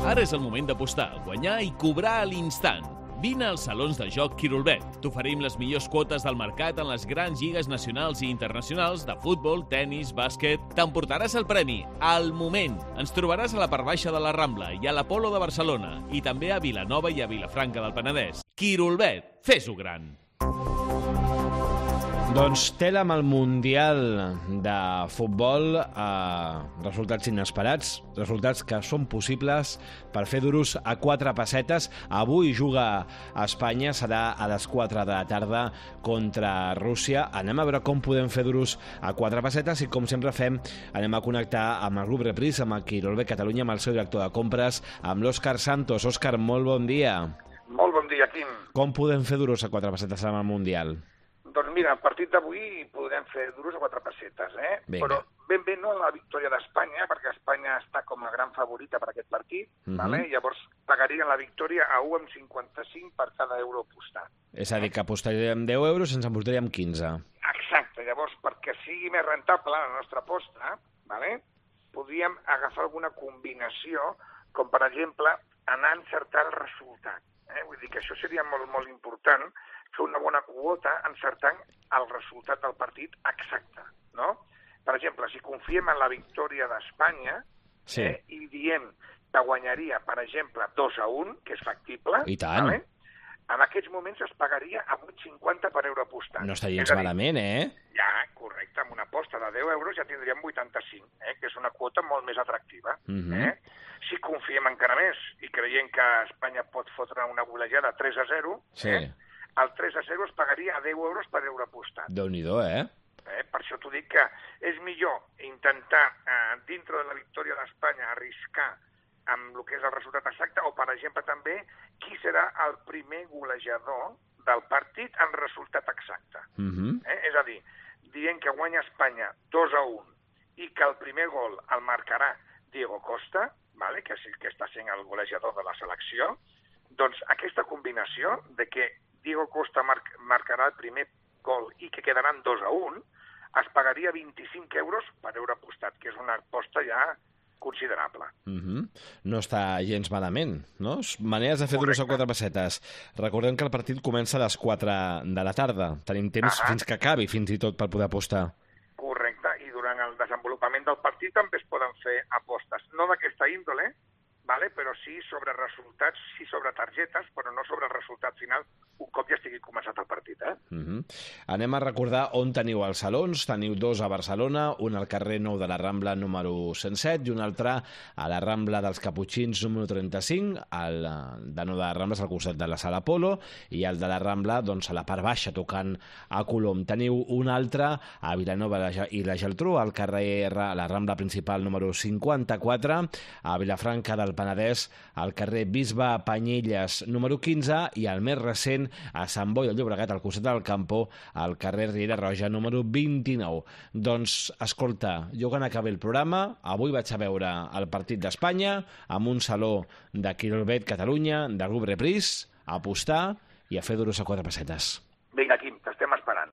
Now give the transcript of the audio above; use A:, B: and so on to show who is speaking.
A: Ara és el moment d'apostar, guanyar i cobrar a l'instant. Vine als salons de joc Quirolbet. T'oferim les millors quotes del mercat en les grans lligues nacionals i internacionals de futbol, tennis, bàsquet. T'emportaràs el premi al moment. Ens trobaràs a la part baixa de la Rambla i a l'Apolo de Barcelona i també a Vilanova i a Vilafranca del Penedès. Quirolbet, fes-ho gran!
B: Doncs tela amb el Mundial de Futbol, resultats inesperats, resultats que són possibles per fer duros a 4 pessetes. Avui juga a Espanya, serà a les 4 de la tarda contra Rússia. Anem a veure com podem fer duros a 4 pessetes i, com sempre fem, anem a connectar amb el grup Repris, amb el Quirolbet Catalunya, amb el seu director de compres, amb l'Òscar Santos. Òscar, molt bon dia.
C: Molt bon dia, Quim.
B: Com podem fer duros a 4 pessetes amb el Mundial?
C: Doncs mira, el partit d'avui podem fer duros a 4 pessetes,
B: Vinga.
C: Però ben bé no la victòria d'Espanya, perquè Espanya està com a gran favorita per aquest partit, vale? Llavors pagarien la victòria a 1,55 per cada euro apostat.
B: És a dir, que apostaríem 10 euros i ens emportaríem 15.
C: Exacte, llavors perquè sigui més rentable la nostra aposta, vale? Podríem agafar alguna combinació, com per exemple anar a encertar el resultat. Vull dir que això seria molt, molt important, fer una bona quota encertant el resultat del partit exacte, no? Per exemple, si confiem en la victòria d'Espanya i diem que guanyaria, per exemple, 2-1, que és factible,
B: I tant.
C: Vale? En aquests moments es pagaria a 8,50 per euro apostat.
B: No està gens malament,
C: Ja, correcte, amb una aposta de 10 euros ja tindríem 85, que és una quota molt més atractiva. Si confiem encara més i creiem que Espanya pot fotre una golejada 3-0, el 3-0 es pagaria a 10 euros per euro apostat.
B: Déu-n'hi-do,
C: Per això t'ho dic que és millor intentar, dintre de la victòria d'Espanya, arriscar amb el que és el resultat exacte, o, per exemple, també, qui serà el primer golejador del partit en resultat exacte. És a dir, dient que guanya Espanya 2-1 i que el primer gol el marcarà Diego Costa, vale? Que està sent el golejador de la selecció, doncs aquesta combinació de que Diego Costa marcarà el primer gol i que quedaran 2-1, es pagaria 25 euros per euro apostat, que és una aposta ja considerable.
B: No està gens malament, no? Maneres de fer duros a 4 pessetes. Recordem que el partit comença a les 4 de la tarda. Tenim temps fins que acabi, fins i tot, per poder apostar.
C: Correcte, i durant el desenvolupament del partit també es poden fer apostes. No d'aquesta índole, vale? Però sí sobre resultats, sí sobre targetes, però no sobre el resultat final un cop ja estigui començat el partit.
B: Anem a recordar on teniu els salons. Teniu 2 a Barcelona, un al carrer Nou de la Rambla número 107 i un altre a la Rambla dels Caputxins número 35, el de Nou de la Rambla és al costat de la Sala Apolo i el de la Rambla doncs, a la part baixa tocant a Colom. Teniu un altre a Vilanova i la Geltrú, al carrer a la Rambla principal número 54, a Vilafranca del Penedès, al carrer Bisbe Panyelles número 15 i el més recent a Sant Boi de Llobregat, al costat del Campo, al carrer Riera Roja número 29. Doncs, escolta, jo quan acabi el programa, avui vaig a veure el partit d'Espanya amb un saló de Quirolbet Catalunya, del grup Repris, a apostar i a fer duros a 4 pessetes.
C: Vinga, Quim, t'estem esperant.